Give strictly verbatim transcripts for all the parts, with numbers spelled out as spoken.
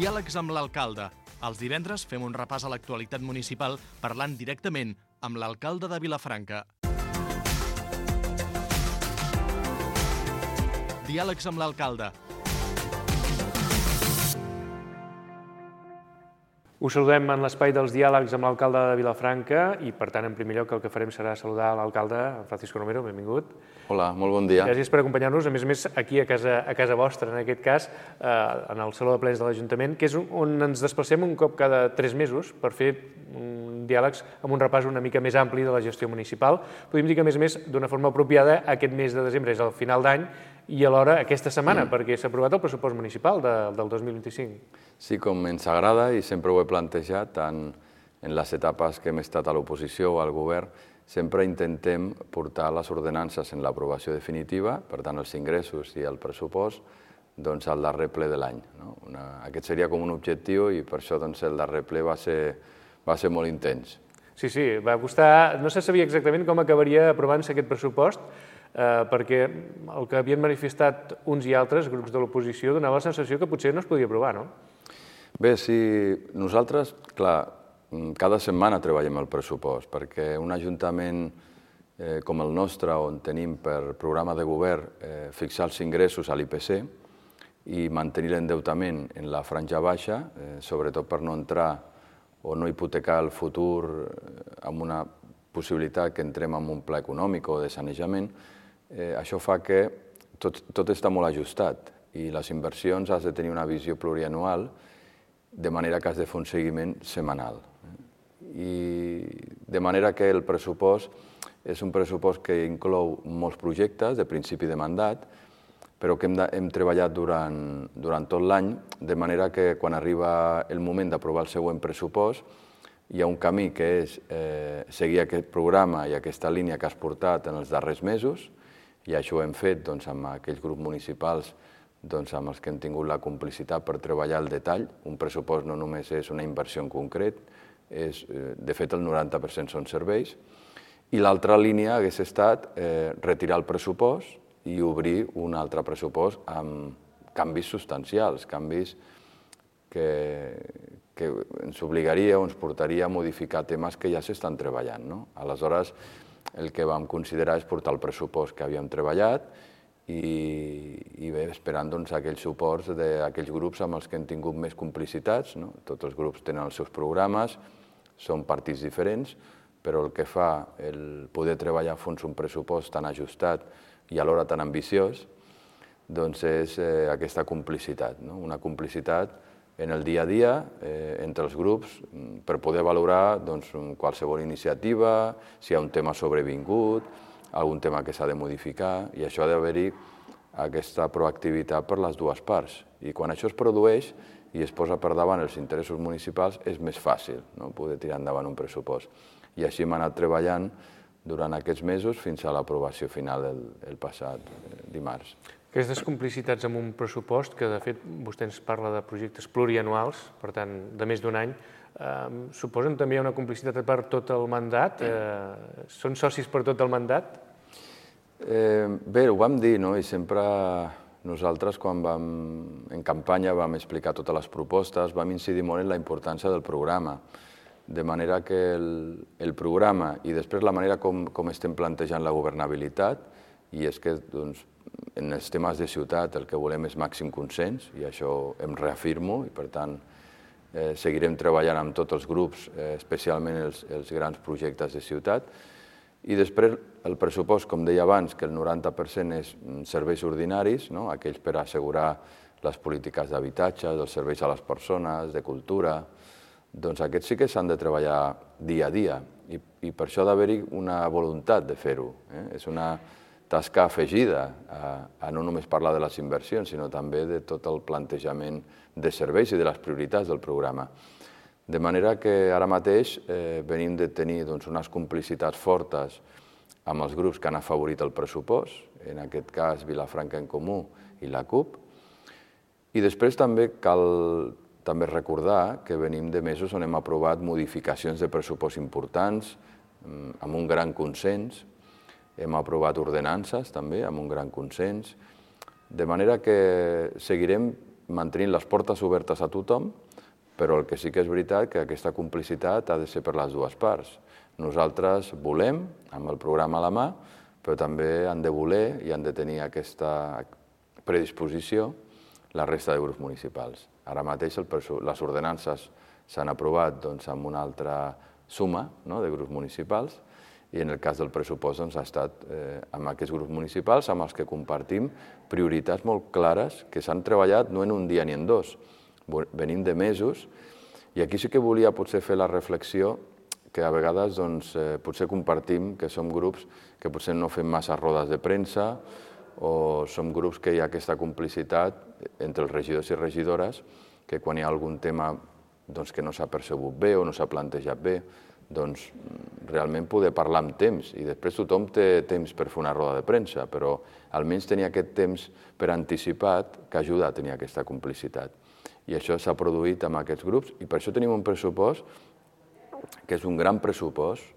Diàlegs amb l'alcalde. Els divendres fem un repàs a l'actualitat municipal parlant directament amb l'alcalde de Vilafranca. Diàlegs amb l'alcalde. Us saludem en l'espai dels diàlegs amb l'alcalde de Vilafranca i, per tant, en primer lloc, el que farem serà saludar l'alcalde, Francisco Romero, benvingut. Hola, molt bon dia. Gràcies per acompanyar-nos, a més a més, aquí a casa, a casa vostra, en aquest cas, eh, en el Saló de Plens de l'Ajuntament, que és on ens desplacem un cop cada tres mesos per fer un diàlegs amb un repàs una mica més ampli de la gestió municipal. Podem dir que, a més a més, d'una forma apropiada, aquest mes de desembre és el final d'any i alhora aquesta setmana, mm. perquè s'ha aprovat el pressupost municipal de, del dos mil vint-i-cinc. Sí, com ens agrada i sempre ho he plantejat, tant en les etapes que hem estat a l'oposició o al govern, sempre intentem portar les ordenances en l'aprovació definitiva, per tant els ingressos i el pressupost, doncs al darrer ple de l'any. No? Una, aquest seria com un objectiu i per això doncs, el darrer ple va ser, va ser molt intens. Sí, sí, va costar, no se sabia exactament com acabaria aprovant-se aquest pressupost, eh, perquè el que havien manifestat uns i altres grups de l'oposició donava la sensació que potser no es podia aprovar, no? Bé, sí, nosaltres, clar, cada setmana treballem el pressupost, perquè un ajuntament eh, com el nostre, on tenim per programa de govern eh, fixar els ingressos a l'I P C i mantenir l'endeutament en la franja baixa, eh, sobretot per no entrar o no hipotecar el futur amb una possibilitat que entrem en un pla econòmic o de sanejament, eh, això fa que tot, tot està molt ajustat i les inversions has de tenir una visió plurianual, de manera que has de fer un seguiment setmanal. I de manera que el pressupost és un pressupost que inclou molts projectes de principi de mandat, però que hem, de, hem treballat durant, durant tot l'any, de manera que quan arriba el moment d'aprovar el següent pressupost, hi ha un camí que és eh, seguir aquest programa i aquesta línia que has portat en els darrers mesos, i això ho hem fet doncs, amb aquells grups municipals doncs, amb els que hem tingut la complicitat per treballar el detall. Un pressupost no només és una inversió en concret, és, de fet el noranta per cent són serveis, i l'altra línia hagués estat eh, retirar el pressupost i obrir un altre pressupost amb canvis substancials, canvis que, que ens obligaria o ens portaria a modificar temes que ja s'estan treballant. No? Aleshores, el que vam considerar és portar el pressupost que havíem treballat i, i bé, esperant doncs, aquells suports d'aquells grups amb els que hem tingut més complicitats. No? Tots els grups tenen els seus programes, són partits diferents, però el que fa el poder treballar a fons un pressupost tan ajustat i alhora tan ambiciós doncs és eh, aquesta complicitat, no? Una complicitat en el dia a dia eh, entre els grups per poder valorar doncs, qualsevol iniciativa, si hi ha un tema sobrevingut, algun tema que s'ha de modificar, i això ha d'haver-hi aquesta proactivitat per les dues parts. I quan això es produeix i es posa per davant els interessos municipals, és més fàcil, no? Poder tirar endavant un pressupost. I així hem anat treballant durant aquests mesos fins a l'aprovació final el, el passat dimarts. Aquestes complicitats amb un pressupost, que de fet vostè ens parla de projectes plurianuals, per tant, de més d'un any, eh, suposen també una complicitat per tot el mandat? Eh, són socis per tot el mandat? Eh, bé, ho vam dir, no? I sempre nosaltres, quan vam, en campanya vam explicar totes les propostes, vam incidir molt en la importància del programa, de manera que el, el programa i després la manera com, com estem plantejant la governabilitat, i és que doncs, en els temes de ciutat el que volem és màxim consens, i això em reafirmo, i per tant eh, seguirem treballant amb tots els grups, eh, especialment els, els grans projectes de ciutat. I després el pressupost, com deia abans, que el noranta per cent és serveis ordinaris, no? Aquells per assegurar les polítiques d'habitatge, els serveis a les persones, de cultura, doncs aquests sí que s'han de treballar dia a dia, i, i per això ha d'haver-hi una voluntat de fer-ho. Eh? És una tasca afegida a, a no només parlar de les inversions, sinó també de tot el plantejament de serveis i de les prioritats del programa. De manera que ara mateix eh, venim de tenir doncs, unes complicitats fortes amb els grups que han afavorit el pressupost, en aquest cas Vilafranca en Comú i la CUP, i després també cal també recordar que venim de mesos on hem aprovat modificacions de pressupost importants, amb un gran consens, hem aprovat ordenances també amb un gran consens, de manera que seguirem mantenint les portes obertes a tothom, però el que sí que és veritat que aquesta complicitat ha de ser per les dues parts. Nosaltres volem, amb el programa a la mà, però també han de voler i han de tenir aquesta predisposició la resta de grups municipals. Ara mateix les ordenances s'han aprovat amb una altra suma de grups municipals i en el cas del pressupost ha estat amb aquests grups municipals amb els que compartim prioritats molt clares que s'han treballat no en un dia ni en dos, venim de mesos i aquí sí que volia potser fer la reflexió que a vegades potser compartim que som grups que potser no fem massa rodes de premsa o som grups que hi ha aquesta complicitat entre els regidors i regidores que quan hi ha algun tema que no s'ha percebut bé o no s'ha plantejat bé, doncs realment poder parlar amb temps i després tothom té temps per fer una roda de premsa, però almenys tenir aquest temps per anticipat que ajuda a tenir aquesta complicitat. I això s'ha produït amb aquests grups i per això tenim un pressupost que és un gran pressupost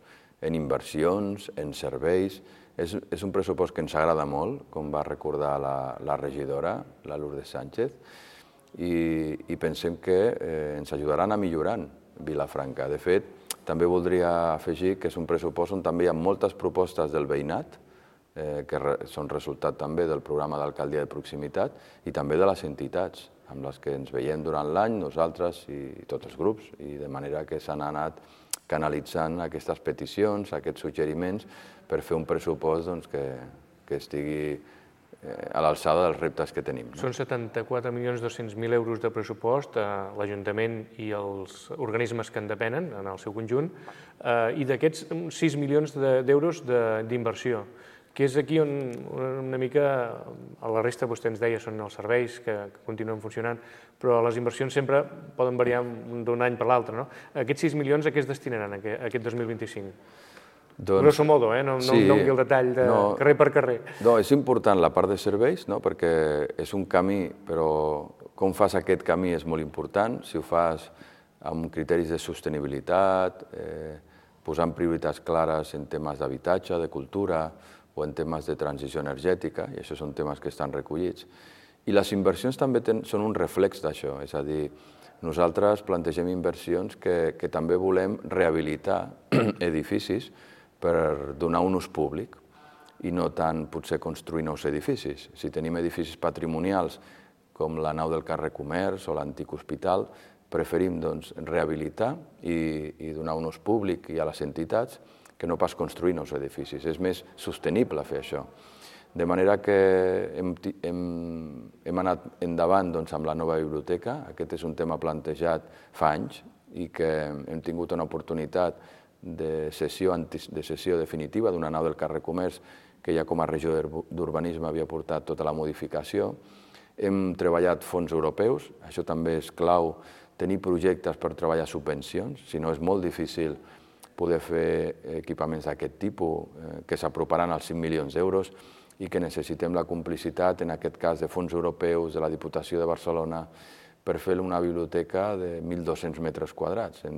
en inversions, en serveis. És un pressupost que ens agrada molt, com va recordar la regidora, la Lourdes Sánchez, i pensem que ens ajudaran a millorar Vilafranca. De fet, també voldria afegir que és un pressupost on també hi ha moltes propostes del veïnat, que són resultat també del programa d'alcaldia de proximitat i també de les entitats amb les que ens veiem durant l'any, nosaltres i tots els grups, i de manera que s'han anat canalitzant aquestes peticions, aquests suggeriments, per fer un pressupost que estigui a l'alçada dels reptes que tenim. Són setanta-quatre milions dos-cents mil euros de pressupost a l'Ajuntament i els organismes que en depenen, en el seu conjunt, i d'aquests sis milions d'euros d'inversió, que és aquí on una mica a la resta vostè ens deia són els serveis que continuen funcionant, però les inversions sempre poden variar d'un any per l'altre. Aquests sis milions a què es destinaran aquest dos mil vint-i-cinc? Grosso modo, no em doni el detall de carrer per carrer. És important la part de serveis, perquè és un camí, però com fas aquest camí és molt important. Si ho fas amb criteris de sostenibilitat, posant prioritats clares en temes d'habitatge, de cultura o en temes de transició energètica, i això són temes que estan recollits. I les inversions també són un reflex d'això, és a dir, nosaltres plantegem inversions que també volem rehabilitar edificis per donar un ús públic i no tant potser construir nous edificis. Si tenim edificis patrimonials com la nau del carrer Comerç o l'antic hospital, preferim rehabilitar i donar un ús públic i a les entitats que no pas construir nous edificis. És més sostenible fer això. De manera que hem anat endavant amb la nova biblioteca. Aquest és un tema plantejat fa anys i que hem tingut una oportunitat de cessió definitiva d'una nau del carrer Comerç que ja com a regió d'urbanisme havia portat tota la modificació. Hem treballat fons europeus, això també és clau, tenir projectes per treballar subvencions, si no és molt difícil poder fer equipaments d'aquest tipus que s'aproparan als cinc milions d'euros i que necessitem la complicitat, en aquest cas de fons europeus, de la Diputació de Barcelona, per fer una biblioteca de mil dos-cents metres quadrats.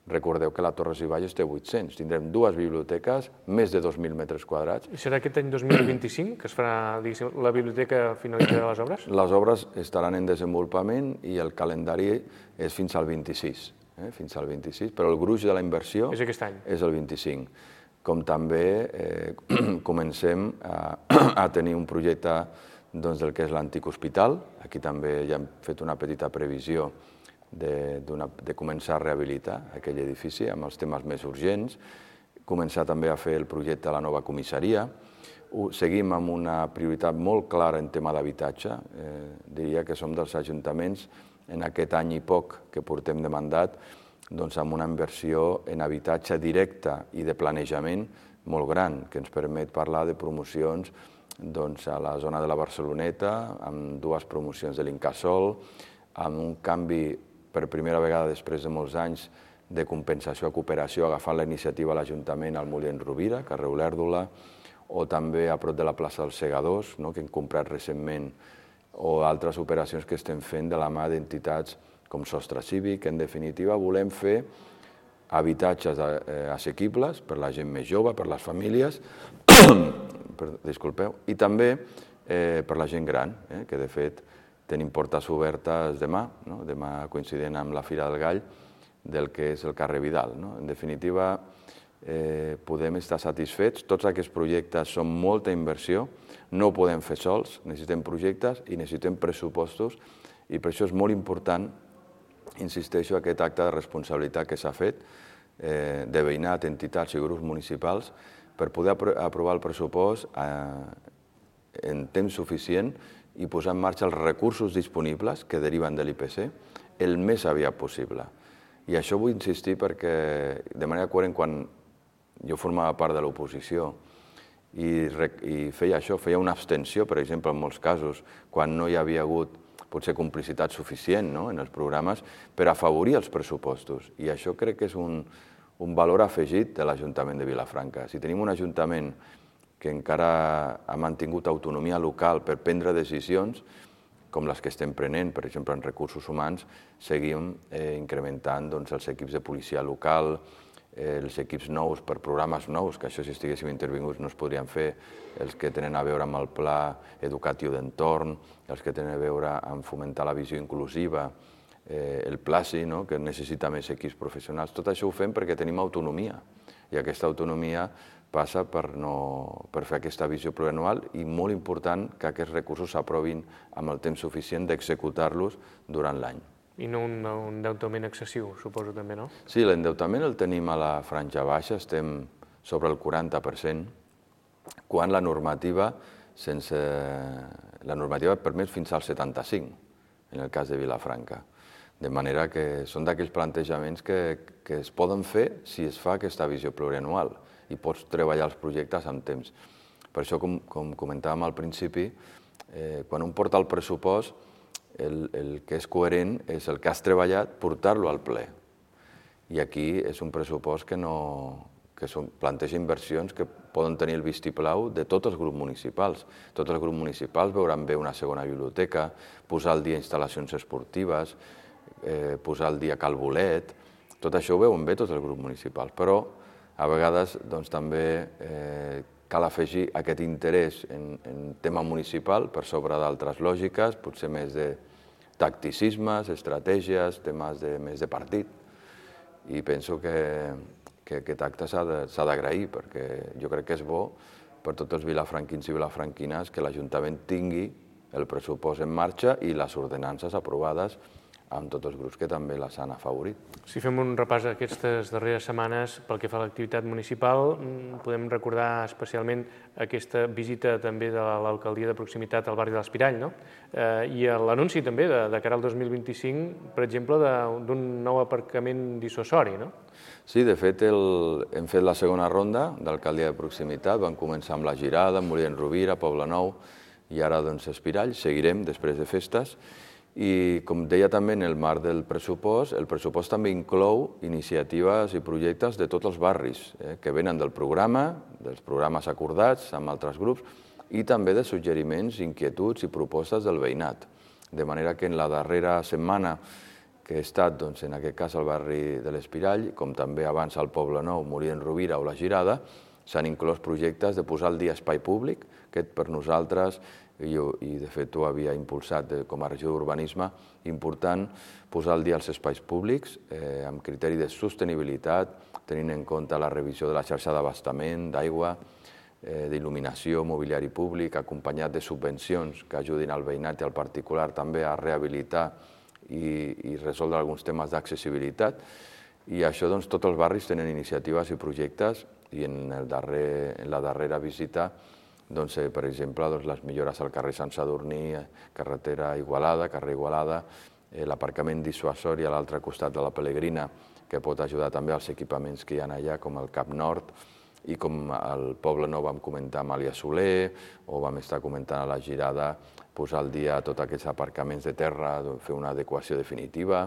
Recordeu que la Torres i Bages té vuit-cents. Tindrem dues biblioteques, més de dos mil metres quadrats. I serà aquest any dos mil vint-i-cinc que es farà la biblioteca finalitzarà les obres? Les obres estaran en desenvolupament i el calendari és fins al vint-i-sis. Fins al vint-i-sis, però el gruix de la inversió és aquest any. És el vint-i-cinc. Com també comencem a tenir un projecte del que és l'antic hospital. Aquí també ja hem fet una petita previsió de començar a rehabilitar aquell edifici amb els temes més urgents, començar també a fer el projecte de la nova comissaria. Seguim amb una prioritat molt clara en tema d'habitatge. Diria que som dels ajuntaments en aquest any i poc que portem de mandat amb una inversió en habitatge directe i de planejament molt gran, que ens permet parlar de promocions a la zona de la Barceloneta, amb dues promocions de l'Incasòl, amb un canvi per primera vegada després de molts anys de compensació a cooperació, agafant la iniciativa a l'Ajuntament al Molí en Rovira, carrer Olèrdola, o també a prop de la plaça dels Segadors, que hem comprat recentment, o altres operacions que estem fent de la mà d'entitats com Sostre Cívic. En definitiva, volem fer habitatges assequibles per la gent més jove, per les famílies, disculpeu, i també per la gent gran, que de fet tenim portes obertes demà, no? Demà coincidint amb la Fira del Gall, del que és el carrer Vidal. No? En definitiva, eh, podem estar satisfets. Tots aquests projectes són molta inversió, no ho podem fer sols, necessitem projectes i necessitem pressupostos, i per això és molt important, insisteixo, aquest acte de responsabilitat que s'ha fet eh, de veïnat, entitats i grups municipals per poder apro aprovar el pressupost eh, en temps suficient i posar en marxa els recursos disponibles que deriven de l'I P C el més aviat possible. I això vull insistir perquè, de manera coherent, quan jo formava part de l'oposició i, i feia això, feia una abstenció, per exemple, en molts casos, quan no hi havia hagut potser complicitat suficient, no?, en els programes, per afavorir els pressupostos. I això crec que és un, un valor afegit de l'Ajuntament de Vilafranca. Si tenim un ajuntament que encara ha mantingut autonomia local per prendre decisions, com les que estem prenent, per exemple, en recursos humans, seguim eh, incrementant doncs, els equips de policia local, eh, els equips nous per programes nous, que això si estiguéssim intervinguts no es podrien fer, els que tenen a veure amb el pla educatiu d'entorn, els que tenen a veure amb fomentar la visió inclusiva, eh, el PLACI, no?, que necessita més equips professionals. Tot això ho fem perquè tenim autonomia, i aquesta autonomia passa per, no, per fer aquesta visió plurianual i molt important que aquests recursos s'aprovin amb el temps suficient d'executar-los durant l'any. I no un, un endeutament excessiu, suposo també, no? Sí, l'endeutament el tenim a la franja baixa, estem sobre el quaranta per cent, quan la normativa, sense... la normativa permet fins al setanta-cinc, en el cas de Vilafranca. De manera que són d'aquells plantejaments que, que es poden fer si es fa aquesta visió plurianual i pots treballar els projectes amb temps. Per això, com, com comentàvem al principi, eh, quan un porta el pressupost, el, el que és coherent és el que has treballat, portar-lo al ple. I aquí és un pressupost que, no, que són, planteja inversions que poden tenir el vistiplau de tots els grups municipals. Tots els grups municipals veuran bé una segona biblioteca, posar al dia instal·lacions esportives, eh, posar al dia Cal Bolet, tot això ho veuen bé tots els grups municipals, però a vegades doncs, també eh, cal afegir aquest interès en, en tema municipal per sobre d'altres lògiques, potser més de tacticismes, estratègies, temes de, més de partit. I penso que, que aquest acte s'ha d'agrair, perquè jo crec que és bo per tots els vilafranquins i vilafranquines que l'Ajuntament tingui el pressupost en marxa i les ordenances aprovades amb tots els grups que també les han afavorit. Si fem un repàs aquestes darreres setmanes pel que fa a l'activitat municipal, podem recordar especialment aquesta visita també de l'alcaldia de proximitat al barri de l'Espirall, no? Eh, I l'anunci també de, de cara al dos mil vint-i-cinc, per exemple, d'un nou aparcament dissuasori, no? Sí, de fet, el, hem fet la segona ronda d'alcaldia de proximitat, vam començar amb la Girada, Molí Rovira, Poblenou i ara doncs Espirall, seguirem després de festes. I, com deia també, en el marc del pressupost, el pressupost també inclou iniciatives i projectes de tots els barris eh, que venen del programa, dels programes acordats amb altres grups, i també de suggeriments, inquietuds i propostes del veïnat. De manera que en la darrera setmana que he estat, doncs, en aquest cas al barri de l'Espirall, com també abans al Poblenou, Molí Rovira o la Girada, s'han inclòs projectes de posar al dia espai públic, que per nosaltres, i, i de fet ho havia impulsat de, com a regió d'urbanisme, important posar al dia els espais públics eh, amb criteri de sostenibilitat, tenint en compte la revisió de la xarxa d'abastament, d'aigua, eh, d'il·luminació, mobiliari públic, acompanyat de subvencions que ajudin al veïnat i al particular també a rehabilitar i, i resoldre alguns temes d'accessibilitat. I això, doncs, tots els barris tenen iniciatives i projectes i en, el darrer, en la darrera visita, doncs, eh, per exemple, doncs, les millores al carrer Sant Sadurní, carretera Igualada, carrer Igualada, eh, l'aparcament dissuasori a l'altre costat de la Pelegrina, que pot ajudar també als equipaments que hi ha allà, com el Cap Nord, i com al Poblenou vam comentar amb Àlia Soler, o vam estar comentant a la Girada, posar al dia tots aquests aparcaments de terra, fer una adequació definitiva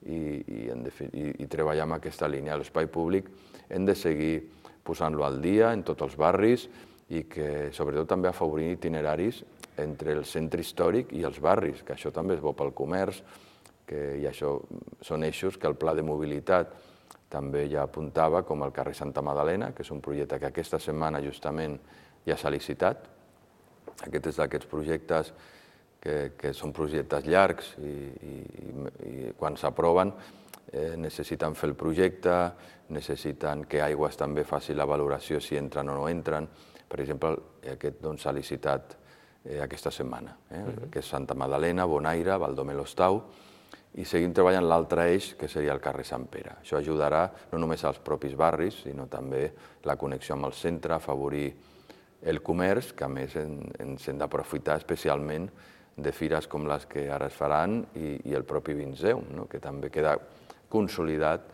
i, i, i, i treballar amb aquesta línia. L'espai públic hem de seguir posant-lo al dia en tots els barris i que sobretot també afavorir itineraris entre el centre històric i els barris, que això també és bo pel comerç, que, i això són eixos que el pla de mobilitat també ja apuntava, com el carrer Santa Madalena, que és un projecte que aquesta setmana justament ja s'ha licitat. Aquest és d'aquests projectes que, que són projectes llargs i, i, i quan s'aproven eh, necessiten fer el projecte, necessiten que Aigües també faci la valoració si entren o no entren. Per exemple, aquest doncs, s'ha licitat eh, aquesta setmana, eh, uh-huh. que és Santa Magdalena, Bonaire, Baldomer-l'Hostau, i seguim treballant l'altre eix, que seria el carrer Sant Pere. Això ajudarà no només als propis barris, sinó també la connexió amb el centre, afavorir el comerç, que a més ens hem d'aprofitar especialment de fires com les que ara es faran i, i el propi Vinceum, no? Que també queda consolidat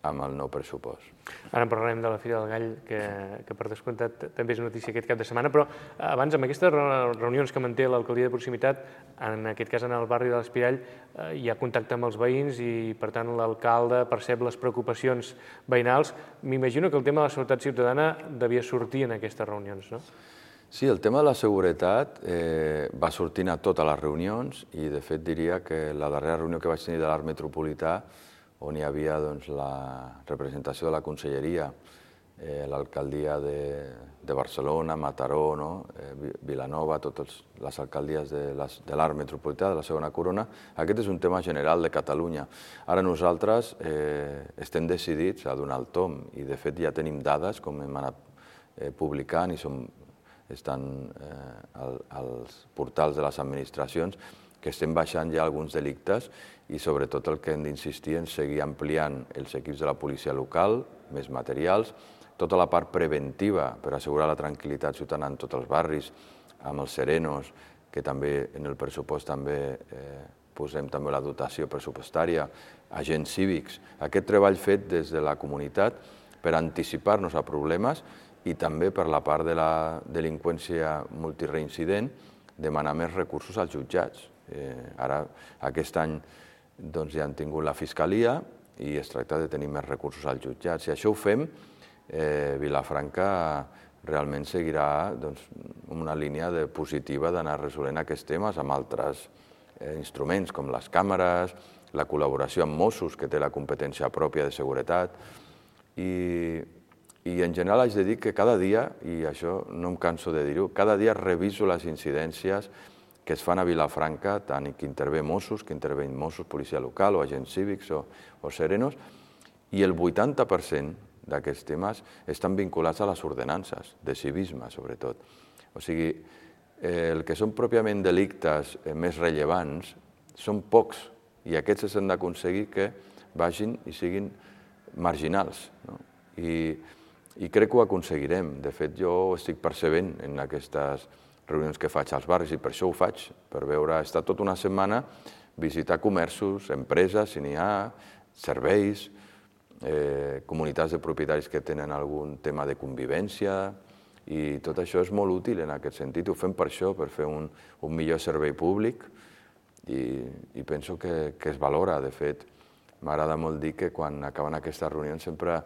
amb el nou pressupost. Ara en parlarem de la Fira del Gall, que, que per descomptat també és notícia aquest cap de setmana, però abans, amb aquestes reunions que manté l'alcaldia de proximitat, en aquest cas en el barri de l'Espirall, hi ha contacte amb els veïns i, per tant, l'alcalde percep les preocupacions veïnals. M'imagino que el tema de la seguretat ciutadana devia sortir en aquestes reunions, no? Sí, el tema de la seguretat eh, va sortint a totes les reunions i, de fet, diria que la darrera reunió que vaig tenir de l'Arc Metropolità, on hi havia doncs, la representació de la Conselleria, eh, l'alcaldia de, de Barcelona, Mataró, no? eh, Vilanova, totes les alcaldies de, les, de l'Arc Metropolità, de la segona corona. Aquest és un tema general de Catalunya. Ara nosaltres eh, estem decidits a donar el tom i, de fet, ja tenim dades, com hem anat eh, publicant i som, estan eh, al, als portals de les administracions, que estem baixant ja alguns delictes i sobretot el que hem d'insistir en seguir ampliant els equips de la policia local, més materials, tota la part preventiva per assegurar la tranquil·litat ciutadana en tots els barris, amb els serenos, que també en el pressupost també eh, posem també la dotació pressupostària, agents cívics, aquest treball fet des de la comunitat per anticipar-nos a problemes i també per la part de la delinqüència multireincident demanar més recursos als jutjats. Eh, ara, aquest any, doncs, ja han tingut la Fiscalia i es tracta de tenir més recursos als jutjats. Si això ho fem, eh, Vilafranca realment seguirà doncs, una línia de positiva d'anar resolent aquests temes amb altres eh, instruments com les càmeres, la col·laboració amb Mossos, que té la competència pròpia de seguretat. I, i en general haig de dir que cada dia, i això no em canso de dir-ho, cada dia reviso les incidències que es fan a Vilafranca, tant que intervé Mossos, que intervé Mossos, policia local o agents cívics o, o serenos, i el vuitanta per cent d'aquests temes estan vinculats a les ordenances, de civisme sobretot. O sigui, eh, el que són pròpiament delictes eh, més rellevants són pocs i aquests s'han d'aconseguir que vagin i siguin marginals. No? I, I crec que ho aconseguirem. De fet, jo ho estic percebent en aquestes reunions que faig als barris i per això ho faig, per veure, estar tota una setmana, visitar comerços, empreses, si n'hi ha, serveis, eh, comunitats de propietaris que tenen algun tema de convivència i tot això és molt útil en aquest sentit. Ho fem per això, per fer un, un millor servei públic i, i penso que, que es valora. De fet, m'agrada molt dir que quan acaben aquestes reunions sempre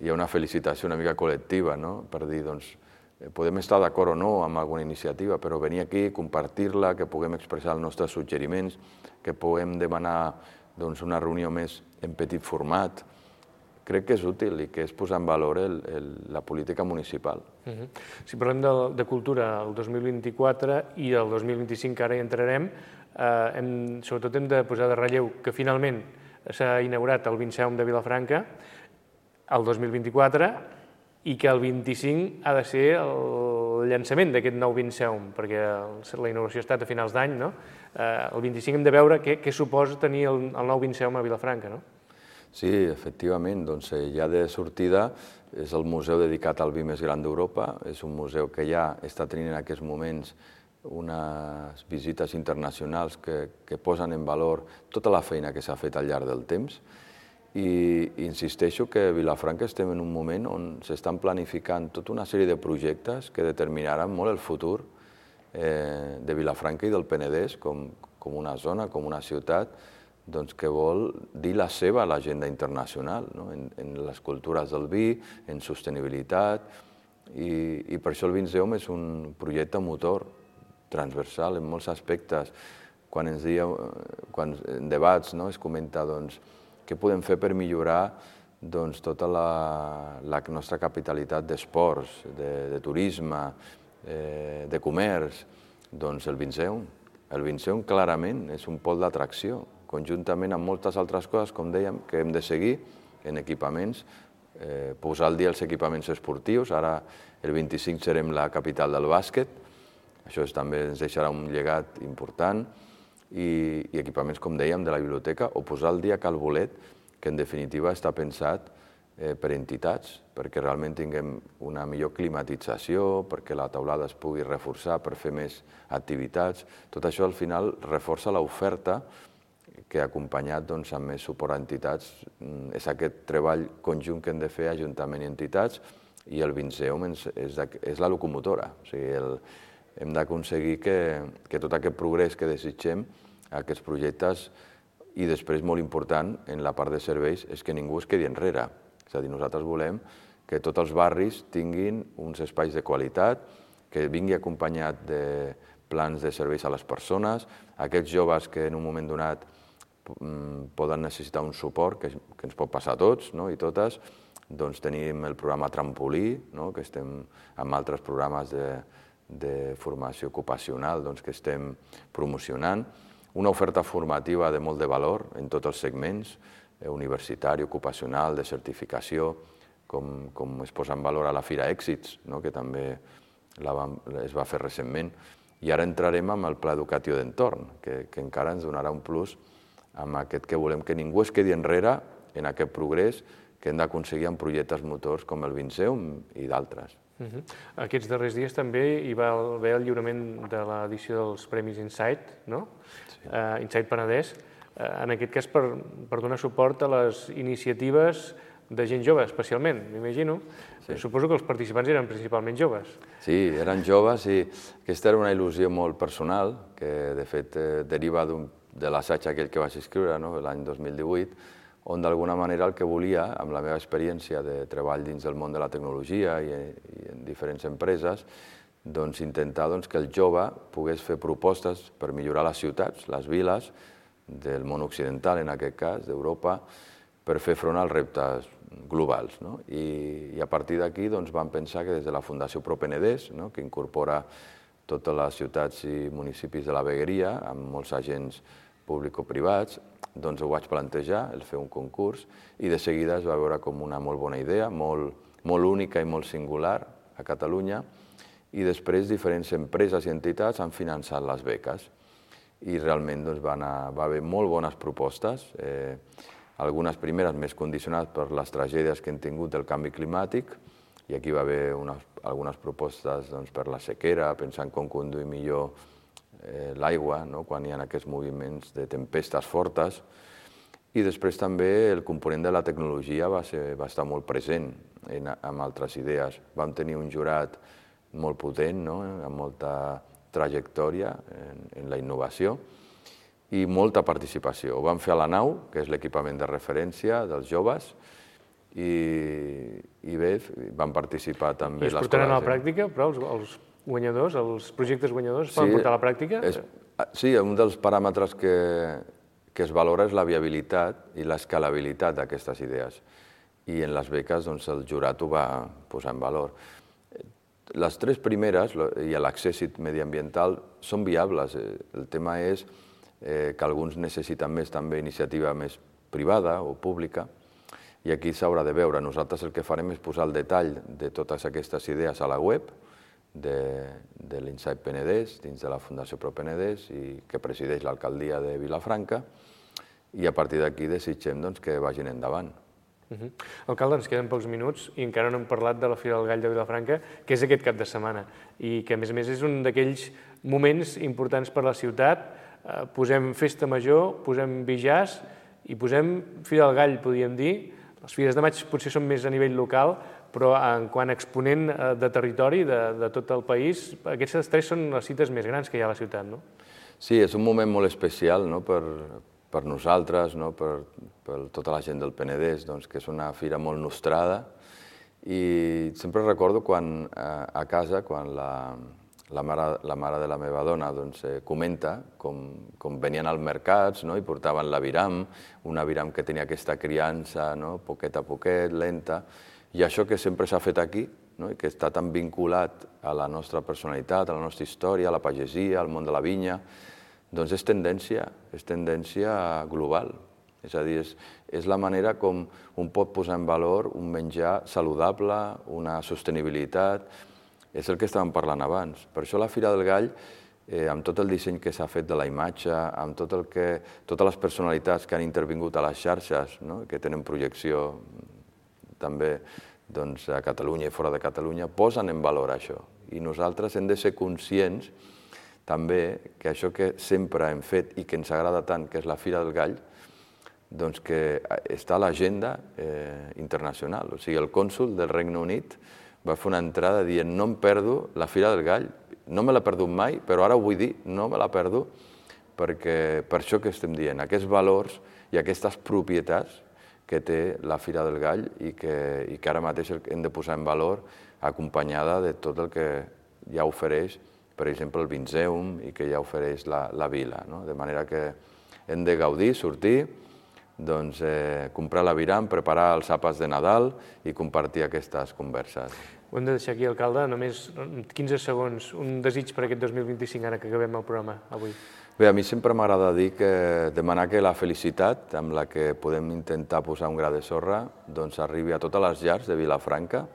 hi ha una felicitació una mica col·lectiva, no? Per dir, doncs, podem estar d'acord o no amb alguna iniciativa, però venir aquí, compartir-la, que puguem expressar els nostres suggeriments, que puguem demanar doncs, una reunió més en petit format, crec que és útil i que és posar en valor el, el, la política municipal. Uh-huh. Si parlem de, de cultura el dos mil vint-i-quatre i el dos mil vint-i-cinc, que ara hi entrarem, eh, hem, sobretot hem de posar de relleu que finalment s'ha inaugurat el Vinceum de Vilafranca el dos mil vint-i-quatre i que el vint-i-cinc ha de ser el llançament d'aquest nou Vinceum, perquè la inauguració ha estat a finals d'any, no? El vint-i-cinc hem de veure què, què suposa tenir el, el nou Vinceum a Vilafranca, no? Sí, efectivament, doncs ja de sortida és el museu dedicat al vi més gran d'Europa, és un museu que ja està tenint en aquests moments unes visites internacionals que, que posen en valor tota la feina que s'ha fet al llarg del temps. I insisteixo que a Vilafranca estem en un moment on s'estan planificant tota una sèrie de projectes que determinaran molt el futur eh, de Vilafranca i del Penedès com, com una zona, com una ciutat doncs, que vol dir la seva a l'agenda internacional, no? en, en les cultures del vi, en sostenibilitat, i, i per això el Vinceum és un projecte motor transversal en molts aspectes. Quan ens dieu, quan en debats no, es comenta doncs, què podem fer per millorar doncs, tota la, la nostra capitalitat d'esports, de, de turisme, eh, de comerç, doncs el Vinceum. El Vinceum clarament és un pol d'atracció, conjuntament amb moltes altres coses, com dèiem, que hem de seguir en equipaments, eh, posar al dia els equipaments esportius. Ara el vint-i-cinc serem la capital del bàsquet, això també ens deixarà un llegat important, i, i equipaments, com dèiem, de la biblioteca, o posar al dia Cal Bolet, que en definitiva està pensat eh, per entitats, perquè realment tinguem una millor climatització, perquè la taulada es pugui reforçar per fer més activitats. Tot això al final reforça l'oferta que acompanyat doncs, amb més suport a entitats és aquest treball conjunt que hem de fer Ajuntament i entitats, i el Vinceum és, és, és la locomotora. O sigui, el, hem d'aconseguir que, que tot aquest progrés que desitgem, aquests projectes, i després, molt important, en la part de serveis, és que ningú es quedi enrere. És a dir, nosaltres volem que tots els barris tinguin uns espais de qualitat, que vingui acompanyat de plans de serveis a les persones, aquests joves que en un moment donat poden necessitar un suport, que, que ens pot passar a tots, no? I totes, doncs tenim el programa Trampolí, no? Que estem amb altres programes de, de formació ocupacional doncs, que estem promocionant, una oferta formativa de molt de valor en tots els segments, eh, universitari, ocupacional, de certificació, com, com es posa en valor a la Fira Èxits, no? Que també la vam, es va fer recentment, i ara entrarem amb el Pla Educatiu d'Entorn, que, que encara ens donarà un plus amb aquest que volem que ningú es quedi enrere en aquest progrés que hem d'aconseguir amb projectes motors com el Vinceum i d'altres. Uh-huh. Aquests darrers dies també hi va haver el lliurament de l'edició dels Premis Insight, no? Sí. Uh, Insight Penedès, uh, en aquest cas per, per donar suport a les iniciatives de gent jove, especialment, m'imagino. Sí. Suposo que els participants eren principalment joves. Sí, eren joves i aquesta era una il·lusió molt personal, que de fet eh, deriva d'un de l'assaig aquell que vaig escriure no? l'any dos mil divuit, on d'alguna manera el que volia, amb la meva experiència de treball dins del món de la tecnologia i, i en diferents empreses, doncs intentar doncs, que el jove pogués fer propostes per millorar les ciutats, les viles, del món occidental, en aquest cas, d'Europa, per fer front als reptes globals. No? I, i a partir d'aquí doncs, vam pensar que des de la Fundació ProPenedès, no? Que incorpora totes les ciutats i municipis de la vegueria, amb molts agents público-privats, doncs ho vaig plantejar, el fer un concurs, i de seguida es va veure com una molt bona idea, molt, molt única i molt singular a Catalunya, i després diferents empreses i entitats han finançat les beques. I realment doncs, va, anar, va haver molt bones propostes, eh, algunes primeres més condicionades per les tragèdies que hem tingut del canvi climàtic, i aquí va haver unes, algunes propostes doncs, per la sequera, pensant com conduir millor eh, l'aigua, no? Quan hi ha aquests moviments de tempestes fortes. I després també el component de la tecnologia va, ser, va estar molt present en, en altres idees. Vam tenir un jurat molt potent, no? Amb molta trajectòria en, en la innovació i molta participació. Ho vam fer a la nau, que és l'equipament de referència dels joves, i, i bé, van participar també... I es portaran a la pràctica, però els, els guanyadors, els projectes guanyadors es poden portar a la pràctica? És, sí, un dels paràmetres que, que es valora és la viabilitat i l'escalabilitat d'aquestes idees. I en les beques doncs, el jurat ho va posar en valor. Les tres primeres, i l'accés mediambiental, són viables. El tema és eh, que alguns necessiten més també iniciativa més privada o pública, i aquí s'haurà de veure. Nosaltres el que farem és posar el detall de totes aquestes idees a la web de, de l'Insight Penedès, dins de la Fundació ProPenedès, i que presideix l'alcaldia de Vilafranca, i a partir d'aquí desitgem doncs, que vagin endavant. Uh-huh. Alcalde, ens queden pocs minuts i encara no hem parlat de la Fira del Gall de Vilafranca, que és aquest cap de setmana, i que a més a més és un d'aquells moments importants per a la ciutat. Eh, posem festa major, posem bijàs i posem Fira del Gall, podríem dir. Les fires de maig potser són més a nivell local, però en quant a exponent de territori de, de tot el país, aquestes tres són les cites més grans que hi ha a la ciutat, no? Sí, és un moment molt especial, no? per, per nosaltres, no? per, per tota la gent del Penedès, doncs, que és una fira molt nostrada. I sempre recordo quan a casa, quan la, la, mare, la mare de la meva dona doncs, eh, comenta com, com venien als mercats, no? I portaven l'aviram, un aviram que tenia aquesta criança, no? Poquet a poquet, lenta, i això que sempre s'ha fet aquí, no? I que està tan vinculat a la nostra personalitat, a la nostra història, a la pagesia, al món de la vinya, doncs és tendència, és tendència global. És a dir, és, és la manera com un pot posar en valor un menjar saludable, una sostenibilitat. És el que estàvem parlant abans. Per això la Fira del Gall, eh, amb tot el disseny que s'ha fet de la imatge, amb tot el que, totes les personalitats que han intervingut a les xarxes, no? Que tenen projecció també doncs, a Catalunya i fora de Catalunya, posen en valor això. I nosaltres hem de ser conscients també que això que sempre hem fet i que ens agrada tant, que és la Fira del Gall, doncs que està a l'agenda eh, internacional. O sigui, el cònsol del Regne Unit va fer una entrada dient no em perdo la Fira del Gall, no me l'he perdut mai, però ara ho vull dir, no me la perdo, perquè per això que estem dient, aquests valors i aquestes propietats que té la Fira del Gall i que, i que ara mateix hem de posar en valor acompanyada de tot el que ja ofereix, per exemple, el Vinzeum i que ja ofereix la, la vila. No? De manera que hem de gaudir, sortir, doncs, eh, comprar l'aviram, preparar els àpats de Nadal i compartir aquestes converses. Ho hem de deixar aquí, alcalde, només quinze segons, un desig per aquest dos mil vint-i-cinc, ara que acabem el programa avui. Bé, a mi sempre m'agrada dir que demanar que la felicitat amb la que podem intentar posar un gra de sorra doncs arribi a totes les llars de Vilafranca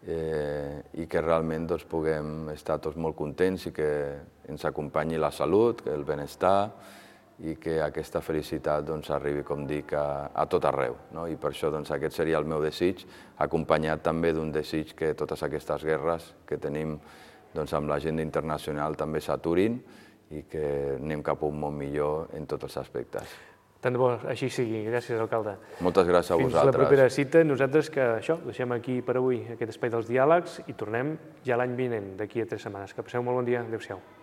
eh, i que realment doncs, puguem estar tots molt contents i que ens acompanyi la salut, el benestar i que aquesta felicitat doncs, arribi, com dic, a, a tot arreu. No? I per això doncs, aquest seria el meu desig, acompanyat també d'un desig que totes aquestes guerres que tenim doncs, amb l'agenda internacional també s'aturin i que anem cap a un món millor en tots els aspectes. Tant de bo així sigui. Gràcies, alcalde. Moltes gràcies a vosaltres. Fins la propera cita. Nosaltres que això, deixem aquí per avui aquest espai dels diàlegs i tornem ja l'any vinent, d'aquí a tres setmanes. Que passeu un molt bon dia. Adéu-siau.